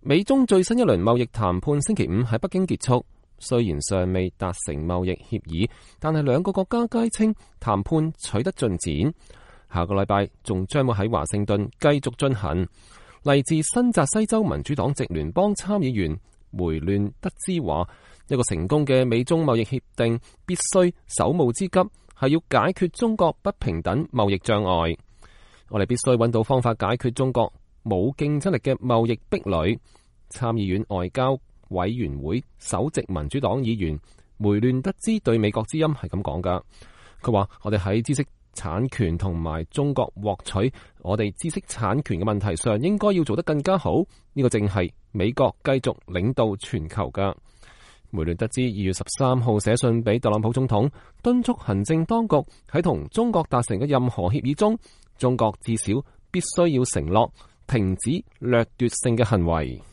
美中最新一輪貿易談判星期五喺北京結束，雖然尚未達成貿易協議，但係兩個國家皆稱談判取得進展。下個禮拜仲將會喺華盛頓繼續進行。嚟自新澤西州民主黨籍聯邦參議員梅亂德茲話：一個成功嘅美中貿易協定必須首務之急係要解決中國不平等貿易障礙。我哋必須揾到方法解決中國冇競爭力嘅貿易壁壘。參議院外交委員會首席民主黨議員梅亂德茲對美國之音係咁講㗎。佢話：我哋喺知識產權同埋中國獲取我哋知識產權嘅問題上，應該要做得更加好。呢個正係美國繼續領導全球㗎。梅亂德茲2月13號寫信俾特朗普總統，敦促行政當局喺同中國達成嘅任何協議中，中國至少必須要承諾停止掠奪性嘅行為。